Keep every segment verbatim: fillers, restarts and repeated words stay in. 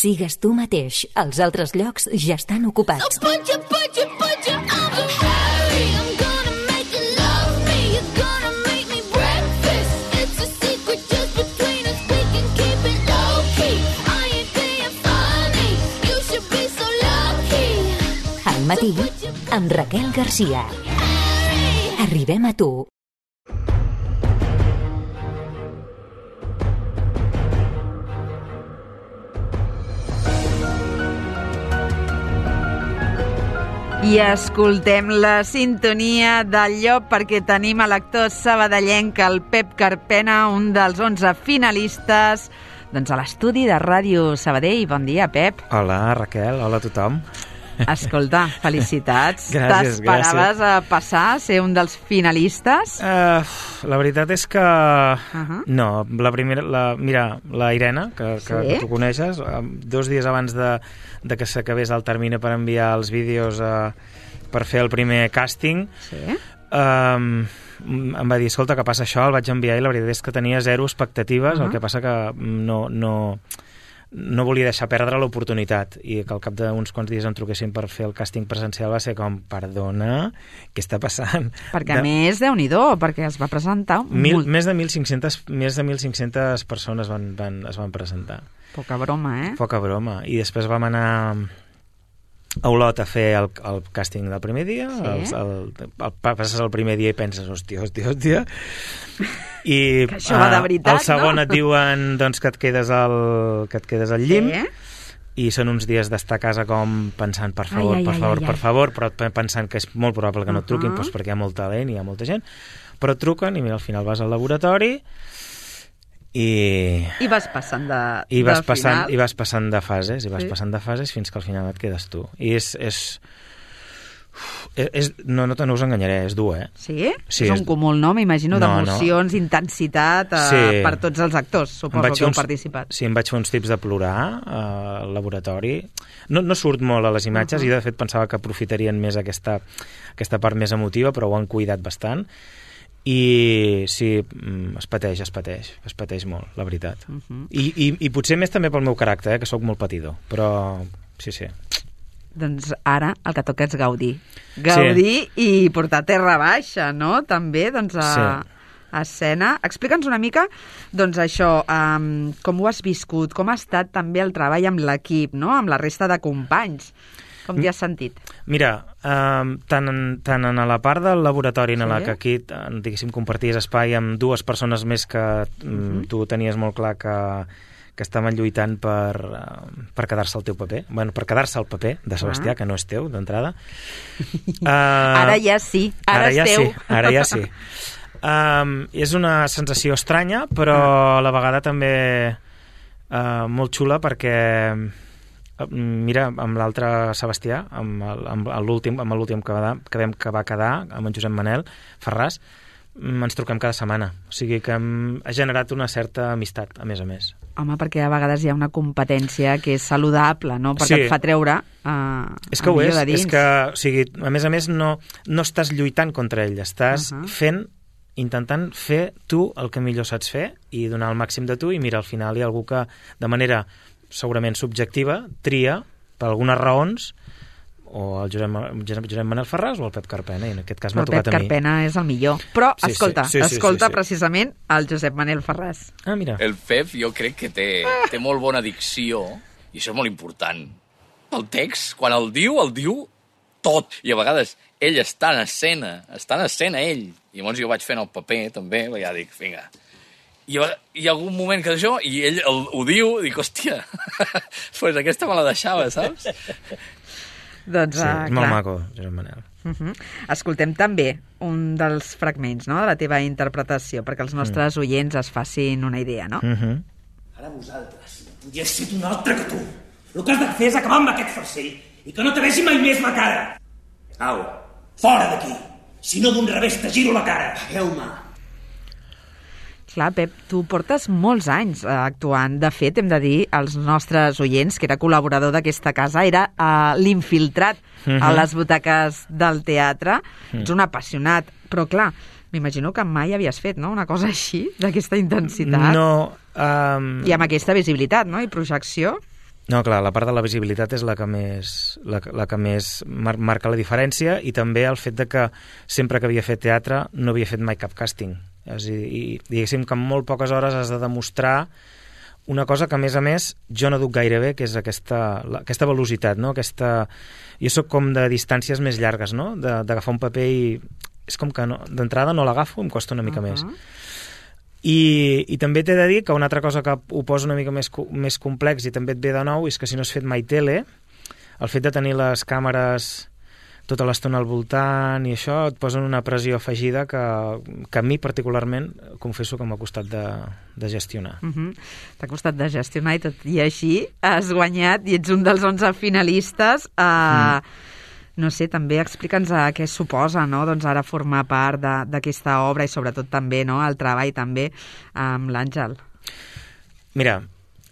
Sigues tu mateix. Els altres llocs ja estan ocupats. Al matí, amb Raquel Garcia. Arribem a tu. I escoltem la sintonia del llop perquè tenim a l'actor sabadellenc, el Pep Carpena, un dels onze finalistes doncs a l'estudi de Ràdio Sabadell. Bon dia, Pep. Hola, Raquel. Hola a tothom. Escolta, felicitats. Gràcies, T'esperaves gràcies. a passar, a ser un dels finalistes? Uh, la veritat és que... Uh-huh. No, la primera... La, mira, la Irene, que, que, Sí? que tu coneixes, dos dies abans de, de que s'acabés el termini per enviar els vídeos uh, per fer el primer càsting, Sí. um, em va dir, escolta, que passa això, el vaig enviar i la veritat és que tenia zero expectatives, uh-huh. El que passa que no... no no volia deixar perdre l'oportunitat i que al cap d'uns quants dies em truquessin per fer el càsting presencial va ser com, perdona, què està passant? Perquè a de... més, Déu-n'hi-do, perquè es va presentar Mil, molt... més de mil cinc-cents més de mil cinc-cents persones van, van, es van presentar. Poca broma, eh? Poca broma. I després vam anar a Olot a fer el, el càsting del primer dia. Sí. El, el, el, passes el primer dia i penses, hòstia, hòstia, hòstia. I que això va de veritat, el segon no? et diuen doncs, que, et quedes al, que et quedes al llim. Sí. I són uns dies d'estar a casa com pensant, per favor, ai, ai, per favor, ai, ai. per favor, però pensant que és molt probable que no et truquin, Uh-huh. doncs perquè hi ha molt talent i hi ha molta gent, però et truquen i mira, al final vas al laboratori i... I vas passant de, I vas, de passant, final. I vas passant de fases, i vas Sí. passant de fases fins que al final et quedes tu. I és... és, és, és no, no, te, no us enganyaré, és dur, eh? Sí? Sí, és un és- cúmul, no? M'imagino, No, d'emocions, intensitat, eh, Sí. per tots els actors, Em suposo vaig que fer heu uns- participat. Sí, em vaig fer uns tips de plorar eh, al laboratori. No, no surt molt a les imatges Uh-huh. i de fet pensava que aprofitarien més aquesta, aquesta part més emotiva, però ho han cuidat bastant. I sí, mm, es pateix, es pateix, es pateix molt, la veritat. Uh-huh. I, i, I potser més també pel meu caràcter, eh, que sóc molt patidor, però sí, sí. Doncs ara el que toca és gaudir. Gaudir sí. i portar terra baixa, no? També, doncs, a, Sí. a escena. Explica'ns una mica, doncs, això, um, com ho has viscut, com ha estat també el treball amb l'equip, no? Amb la resta de companys. Com t'hi has sentit? Mira, eh, tant, en, tant en la part del laboratori en Sí. la que aquí, eh, diguéssim, comparties espai amb dues persones més que mm, Mhm. tu tenies molt clar que, que estaven lluitant per, eh, per quedar-se el teu paper, bueno, per quedar-se el paper de Sebastià, Ah. que no és teu, d'entrada. Uh, Ara ja sí, ara, ara ja és teu. Sí, ara ja sí. Um, és una sensació estranya, però a la vegada també uh, molt xula perquè uh, mira, amb l'altre Sebastià, amb el- amb l'últim amb l'últim que, va- que, vam, que va quedar, amb en Josep Manel Ferràs, mm, ens truquem cada setmana. O sigui que hem, ha generat una certa amistat, a més a més. Home, perquè a vegades hi ha una competència que és saludable, no? Perquè Sí. et fa treure uh, És que el ho millor és, de dins. és que, o sigui, a més a més, no, no estàs lluitant contra ell, estàs Uh-huh. fent, intentant fer tu el que millor saps fer i donar el màxim de tu, i mira, al final hi ha algú que, de manera segurament subjectiva, tria, per algunes raons, o el Josep, Josep, Josep Manel Ferràs o el Pep Carpena, i en aquest cas Però m'ha el Pep tocat a mi. Carpena és el millor. Però, Sí, sí, escolta, sí, sí, escolta sí, sí. precisament el Josep Manel Ferràs. Ah, mira. El Pep jo crec que té, té molt bona dicció i això és molt important. El text, quan el diu, el diu tot. I a vegades ell està en escena, està en escena ell. I llavors jo vaig fent el paper també, perquè ja dic, vinga. I hi ha algun moment que això, i ell el, ho diu, dic, hòstia, pues aquesta me la deixava, saps? Doncs, Sí, uh, és molt clar. maco, Josep Manel. Uh-huh. Escoltem també un dels fragments, no?, de la teva interpretació, perquè els nostres oients es facin una idea, no? Mm -hmm. Ara vosaltres, i he estat un altre que tu. El que has de fer és acabar amb aquest farcell i que no te vegi mai més la cara. Au, fora d'aquí. Si no, d'un revés te giro la cara. Pagueu-me. Clar, Pep, tu portes molts anys eh, actuant. De fet, hem de dir als nostres oients que era col·laborador d'aquesta casa, era eh, l'infiltrat Mhm. a les butaques del teatre. Ets un apassionat, però clar, m'imagino que mai havies fet, no?, una cosa així, d'aquesta intensitat. No... Um... I amb aquesta visibilitat, no?, i projecció. No, clar, la part de la visibilitat és la que més, la, la que més mar marca la diferència, i també el fet de que sempre que havia fet teatre no havia fet mai cap càsting. És a dir, i diguéssim que en molt poques hores has de demostrar una cosa que, a més a més, jo no duc gaire bé, que és aquesta, la, aquesta velocitat, no? Aquesta... Jo sóc com de distàncies més llargues, no? D'agafar un paper i... És com que no, d'entrada no l'agafo, em costa una mica uh -huh. més. I, i també t'he de dir que una altra cosa que ho posa una mica més, més complex i també et ve de nou és que si no has fet mai tele, el fet de tenir les càmeres tota l'estona al voltant i això et posa una pressió afegida que, que a mi particularment confesso que m'ha costat de, de gestionar. Uh -huh. T'ha costat de gestionar i tot i així has guanyat i ets un dels onze finalistes. Uh, mm. No sé, també explica'ns a què suposa, no?, doncs ara formar part d'aquesta obra i sobretot també, no?, el treball també amb l'Àngel. Mira,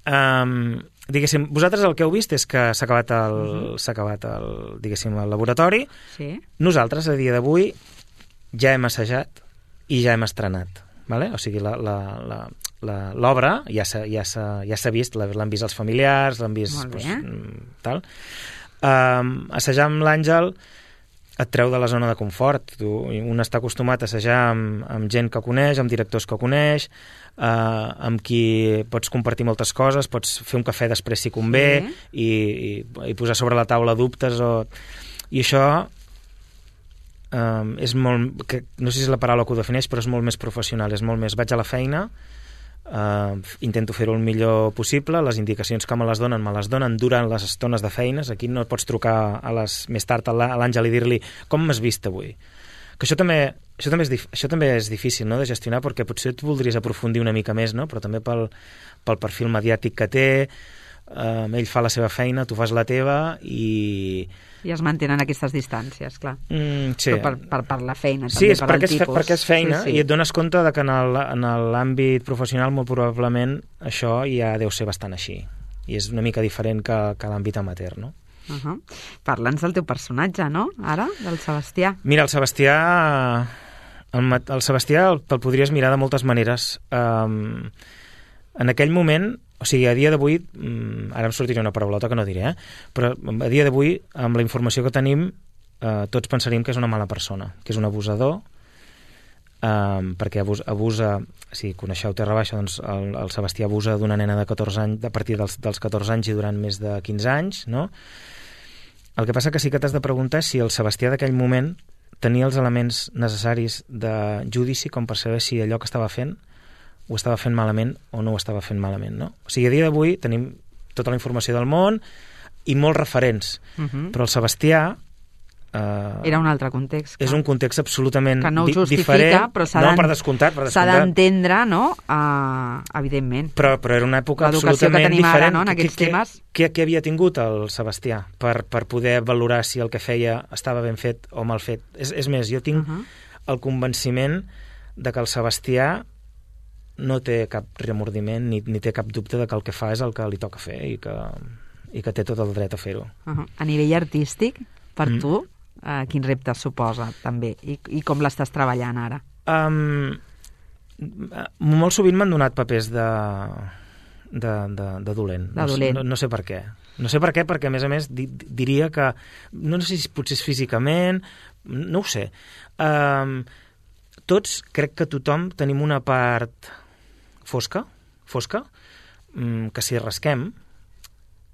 um, diguéssim, vosaltres el que heu vist és que s'ha acabat el, uh-huh. s'ha acabat el, diguéssim, el laboratori. Sí. Nosaltres, a dia d'avui, ja hem assajat i ja hem estrenat, vale? O sigui, l'obra ja s'ha ja ja vist, l'han vist els familiars, l'han vist... Molt bé. Pues, tal. Um, assajar amb l'Àngel et treu de la zona de confort. Tu, un està acostumat a assajar amb, amb gent que coneix, amb directors que coneix, uh, amb qui pots compartir moltes coses, pots fer un cafè després si convé, sí. i, i, i posar sobre la taula dubtes o... i això um, és molt, que, no sé si és la paraula que ho defineix, però és molt més professional, és molt més vaig a la feina, Uh, intento fer-ho el millor possible, les indicacions que me les donen me les donen durant les estones de feines. Aquí no pots trucar a les, més tard a l'Àngel i dir-li com m'has vist avui, que això també, això, també és, això també és difícil, no?, de gestionar, perquè potser tu voldries aprofundir una mica més, no?, però també pel, pel perfil mediàtic que té, uh, ell fa la seva feina, tu fas la teva i... I es mantenen aquestes distàncies, clar. Mm, sí. Però per, per, per la feina, sí, també, és per perquè el tipus. Sí, perquè és feina, sí, sí. I et dones compte de que en l'àmbit professional molt probablement això ja deu ser bastant així. I és una mica diferent que, que l'àmbit amateur, no? Uh -huh. Parla'ns del teu personatge, no?, ara, del Sebastià. Mira, el Sebastià... El, el Sebastià el, el podries mirar de moltes maneres. Um, en aquell moment... O sigui, a dia d'avui, ara em sortirà una paraulota que no diré, eh? Però a dia d'avui, amb la informació que tenim, eh, tots pensaríem que és una mala persona, que és un abusador, eh, perquè abus, abusa, si coneixeu Terra Baixa, doncs el, el Sebastià abusa d'una nena de catorze anys, a partir dels, dels catorze anys i durant més de quinze anys, no? El que passa que sí que t'has de preguntar si el Sebastià d'aquell moment tenia els elements necessaris de judici com per saber si allò que estava fent ho estava fent malament o no ho estava fent malament, no? O sigui, a dia d'avui tenim tota la informació del món i molts referents, uh-huh. però el Sebastià... Eh, era un altre context. És un context absolutament que no ho justifica, diferent. Però s'ha no, per descomptat, per descomptat. S'ha d'entendre, no?, uh, evidentment. Però, però era una època absolutament diferent. Ara, no?, en aquests què, temes. Què, què havia tingut el Sebastià per, per poder valorar si el que feia estava ben fet o mal fet? És, és més, jo tinc uh-huh. el convenciment de que el Sebastià no té cap remordiment ni, ni té cap dubte de que el que fa és el que li toca fer i que, i que té tot el dret a fer-ho. Uh-huh. A nivell artístic, per mm. tu, uh, quin repte suposa també? I, i com l'estàs treballant ara? Um, molt sovint m'han donat papers de, de, de, de dolent. De dolent. No, no, no sé per què. No sé per què, perquè a més a més di, diria que, no sé si potser és físicament, no ho sé. Um, tots, crec que tothom tenim una part fosca, fosca, que si rasquem,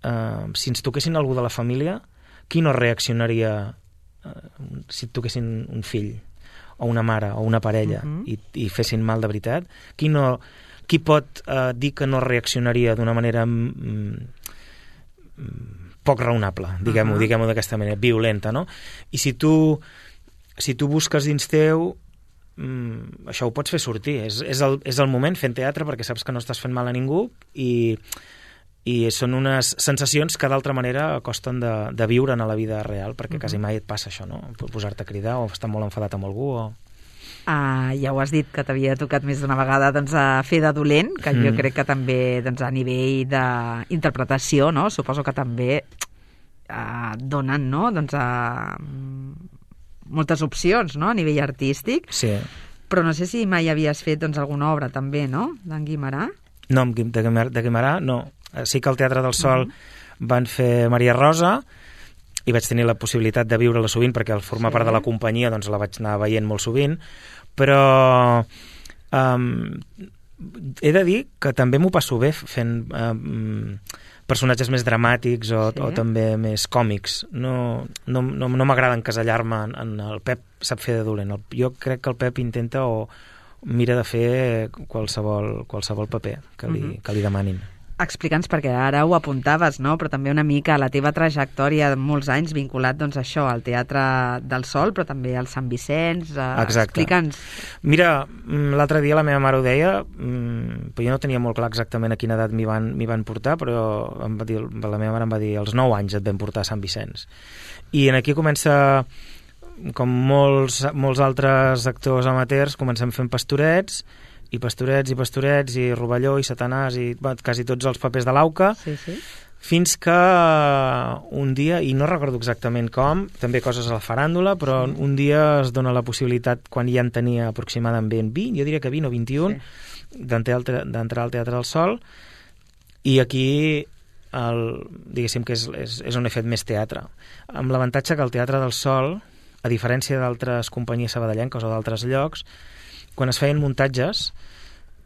eh, si ens toquessin algú de la família, qui no reaccionaria eh, si et toquessin un fill, o una mare, o una parella, uh-huh. i, i fessin mal de veritat? Qui, no, qui pot eh, dir que no reaccionaria d'una manera mm, poc raonable, diguem-ho, uh-huh. diguem-ho d'aquesta manera, violenta, no? I si tu, si tu busques dins teu, Mm, això ho pots fer sortir, és, és, el, és el moment fent teatre perquè saps que no estàs fent mal a ningú i, i són unes sensacions que d'altra manera costen de, de viure en la vida real perquè uh-huh. quasi mai et passa això, no? Posar-te a cridar o estar molt enfadat amb algú o... Uh, ja ho has dit que t'havia tocat més d'una vegada doncs, a fer de dolent, que mm. jo crec que també doncs, a nivell d'interpretació, no? Suposo que també uh, donen, no? Doncs a... Uh, moltes opcions, no?, a nivell artístic. Sí. Però no sé si mai havies fet doncs, alguna obra també, no?, d'en Guimerà. No, de Guimerà, de Guimerà no. Sí que al Teatre del Sol uh-huh. van fer Maria Rosa, i vaig tenir la possibilitat de viure-la sovint perquè al formar sí. part de la companyia doncs la vaig anar veient molt sovint, però um, he de dir que també m'ho passo bé fent um, personatges més dramàtics o, sí. o també més còmics. No, no, no, no m'agrada encasellar-me en, en el Pep sap fer de dolent. El, jo crec que el Pep intenta o mira de fer qualsevol, qualsevol paper que li, uh-huh. que li demanin. Explica'ns, perquè ara ho apuntaves, no? Però també una mica la teva trajectòria de molts anys vinculat, doncs, a això, al Teatre del Sol, però també al Sant Vicenç. Eh, explica'ns. Mira, l'altre dia la meva mare ho deia, però jo no tenia molt clar exactament a quina edat m'hi van, m'hi van portar, però em va dir, la meva mare em va dir als nou anys et vam portar a Sant Vicenç. I aquí comença, com molts, molts altres actors amateurs, comencem fent pastorets, i pastorets, i pastorets, i Rovelló, i Satanàs, i bueno, quasi tots els papers de l'Auca, sí, sí. fins que un dia, i no recordo exactament com, també coses a la faràndula, però sí. un dia es dona la possibilitat, quan ja en tenia aproximadament vint, jo diria que vint o vint-i-un, sí. d'entrar al Teatre del Sol, i aquí, el, diguéssim que és, és, és on he fet més teatre. Amb l'avantatge que el Teatre del Sol, a diferència d'altres companyies sabadellenques o d'altres llocs, quan es feien muntatges,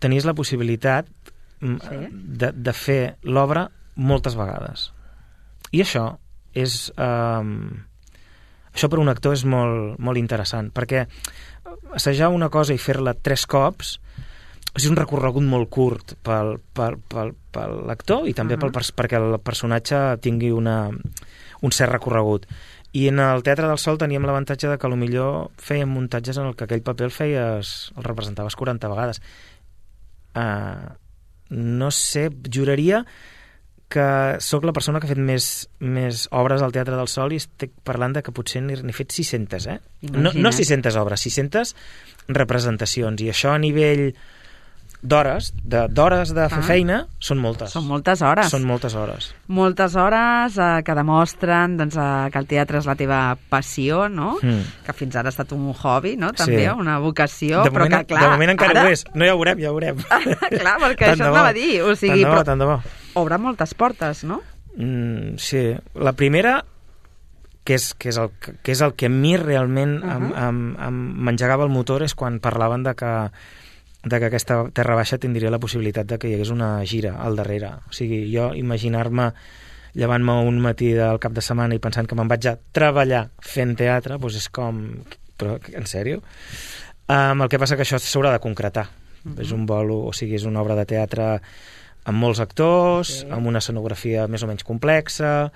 tenies la possibilitat sí. de, de fer l'obra moltes vegades. I això és... Um, això per un actor és molt, molt interessant, perquè assajar una cosa i fer-la tres cops és un recorregut molt curt pel, pel, pel, per l'actor i també uh-huh. pel, perquè el personatge tingui una, un cert recorregut. I en el Teatre del Sol teníem l'avantatge de que potser fèiem muntatges en el que aquell paper el feies, el representaves quaranta vegades. Uh, no sé, juraria que sóc la persona que ha fet més, més obres al Teatre del Sol i estic parlant de que potser n'he fet sis-centes, eh? No, no sis-centes obres, sis-centes representacions. I això a nivell d'hores, de, d'hores de fer ah. feina, són moltes. Són moltes hores. Són moltes hores. Moltes hores eh, que demostren doncs, eh, que el teatre és la teva passió, no? Mm. Que fins ara ha estat un hobby, no? També, sí. una vocació, de però moment, que, clar... De moment encara ara... ho és. No, ja ho veurem, ja ho veurem. Clar, perquè això anava a dir. O sigui, tant de bo, però... tant de bo. Obre moltes portes, no? Mm, sí. La primera, que és, que, és el, que és el que a mi realment uh-huh. em, em, em m'engegava el motor, és quan parlaven de que de que aquesta Terra Baixa tindria la possibilitat de que hi hagués una gira al darrere. O sigui, jo imaginar-me llevant-me un matí del cap de setmana i pensant que me'n vaig a treballar fent teatre, doncs és com... Però, en sèrio? Um, el que passa que això s'haurà de concretar. Uh-huh. És un bolo, o sigui, és una obra de teatre amb molts actors, sí. amb una escenografia més o menys complexa,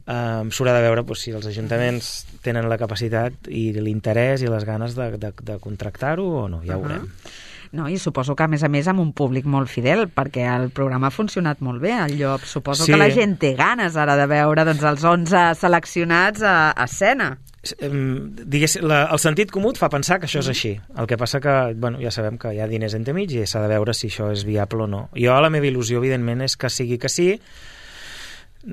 um, s'haurà de veure doncs, si els ajuntaments tenen la capacitat i l'interès i les ganes de, de, de contractar-ho o no, ja ho veurem. Uh-huh. No, i suposo que, a més a més, amb un públic molt fidel, perquè el programa ha funcionat molt bé, el Llop. Suposo sí. que la gent té ganes ara de veure doncs, els onze seleccionats a, a escena. Digués, la, el sentit comú et fa pensar que això és així. El que passa que, bueno, ja sabem que hi ha diners entremig i s'ha de veure si això és viable o no. Jo, la meva il·lusió, evidentment, és que sigui que sí,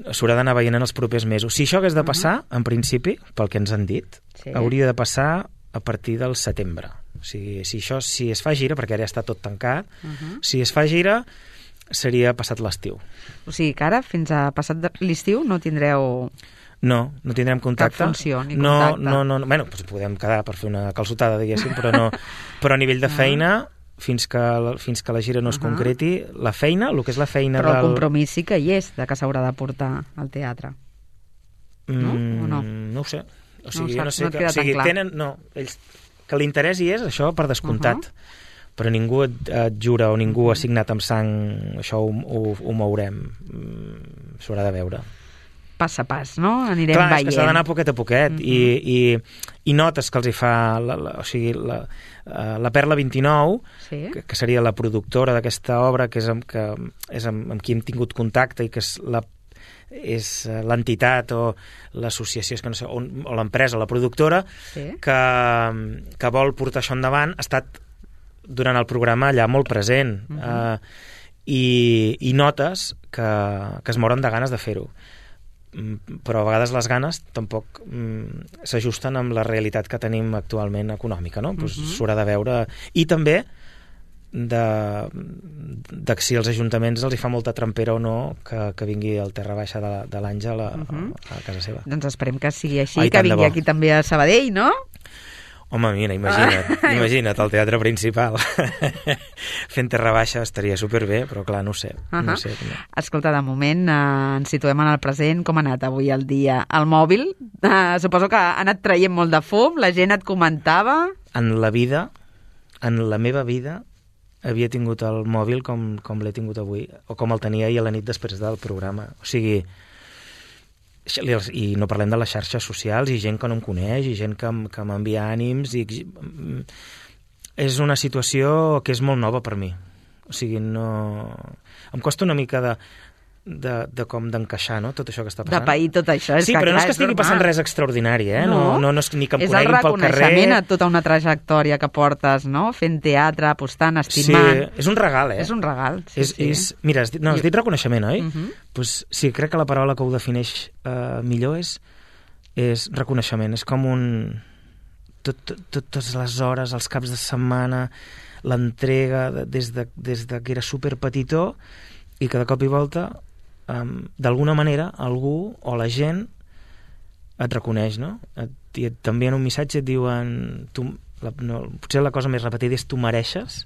s'haurà d'anar veient en els propers mesos. Si això hagués de passar, uh-huh. en principi, pel que ens han dit, sí. hauria de passar a partir del setembre. O sigui, si això si es fa gira, perquè ara ja està tot tancat, uh-huh. si es fa gira, seria passat l'estiu. O sigui que ara, fins a passat l'estiu, no tindreu... No, no tindrem contacte. Cap funció ni no, contacte. No, no, no. Bueno, doncs podem quedar per fer una calçotada, diguéssim, però no. Però a nivell de feina, fins que, fins que la gira no es uh-huh. concreti, la feina, el que és la feina però del... el compromís sí que hi és, de que s'haurà de portar al teatre. No? Mm, o no? No ho sé. O sigui, no, no sé no que, o sigui, tenen... No, ells... Que l'interès hi és, això per descomptat. Uh-huh. Però ningú et, et jura o ningú ha signat amb sang, això ho, ho, ho mourem. Mm, s'haurà de veure. Pas a pas, no? Anirem Clar, veient. Clar, és que s'ha d'anar poquet a poquet. Uh-huh. I, i, I notes que els hi fa... La, la, o sigui, la, la Perla vint-i-nou, sí. que, que seria la productora d'aquesta obra, que és amb, que és amb, amb qui hem tingut contacte i que és la és l'entitat o l'associació, és que no sé, o, o l'empresa, la productora, sí. que, que vol portar això endavant, ha estat durant el programa allà molt present. Uh-huh. uh, i, i notes que, que es moren de ganes de fer-ho. Però a vegades les ganes tampoc mm, s'ajusten amb la realitat que tenim actualment econòmica, no? Uh-huh. Pues s'haurà de veure. I també de, de si els ajuntaments els hi fa molta trampera o no que, que vingui el terra baixa de, de l'Àngel a, uh-huh. a, a casa seva. Doncs esperem que sigui així, Ai, que vingui aquí també a Sabadell, no? Home, mira, imagina't, ah. imagina't el teatre principal fent terra baixa estaria superbé, però clar, no ho sé. Uh-huh. No sé no. Escolta, de moment eh, ens situem en el present. Com ha anat avui el dia? El mòbil, eh, suposo que ha anat traient molt de fum, la gent et comentava... En la vida, en la meva vida, havia tingut el mòbil com, com l'he tingut avui, o com el tenia ahir a la nit després del programa. O sigui... i no parlem de les xarxes socials i gent que no em coneix i gent que, que m'envia ànims i és una situació que és molt nova per mi, o sigui, no... em costa una mica de, de, de com d'encaixar, no?, tot això que està passant. De pair tot això. És sí, que, però clar, no és que estigui normal. passant res extraordinari, eh? No, no, no, no és ni que em és coneguin pel carrer. És el reconeixement a tota una trajectòria que portes, no?, fent teatre, apostant, estimant. Sí, és un regal, eh? És un regal, sí, és, sí. És, mira, has dit, no, has dit reconeixement, oi? Uh-huh. Pues, sí, crec que la paraula que ho defineix uh, millor és, és reconeixement. És com un... Tot, tot, totes les hores, els caps de setmana, l'entrega de, des, de, des de que era superpetitó i que de cop i volta um, d'alguna manera algú o la gent et reconeix, no? Et, i et, també en un missatge et diuen tu, la, no, potser la cosa més repetida és tu mereixes,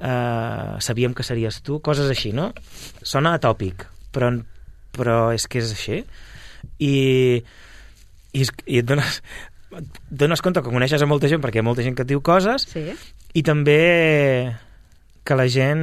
uh, sabíem que series tu, coses així, no? Sona atòpic, però, però és que és així i, i, i et dones et dones compte que coneixes a molta gent perquè hi ha molta gent que et diu coses, sí. I també que la gent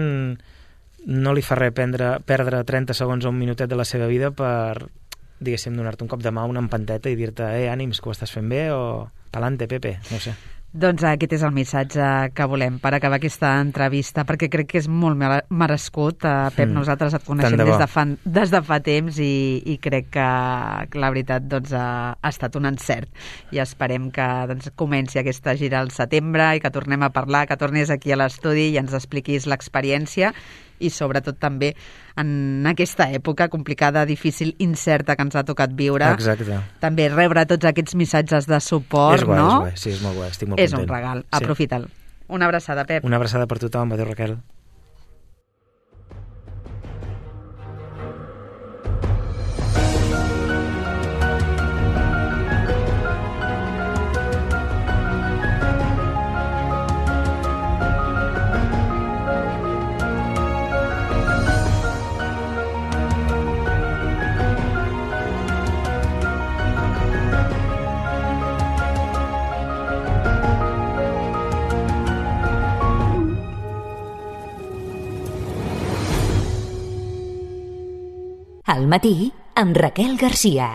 no li fa res prendre, perdre trenta segons o un minutet de la seva vida per, diguéssim, donar-te un cop de mà, una empanteta i dir-te, eh, ànims, que ho estàs fent bé, o pa'lante, Pepe, no sé. Doncs aquest és el missatge que volem per acabar aquesta entrevista, perquè crec que és molt merescut. Pep, mm. nosaltres et coneixem de des, de fa, des de fa temps i, i crec que, que la veritat doncs, ha, ha estat un encert. I esperem que doncs, comenci aquesta gira al setembre i que tornem a parlar, que tornis aquí a l'estudi i ens expliquis l'experiència i sobretot també en aquesta època complicada, difícil, incerta que ens ha tocat viure. Exacte. També rebre tots aquests missatges de suport, és guai, no? És guai, sí, és molt guai, estic molt és content. És un regal, sí. Aprofita'l. Una abraçada, Pep. Una abraçada per tothom, adéu, Raquel. Al matí, amb Raquel Garcia.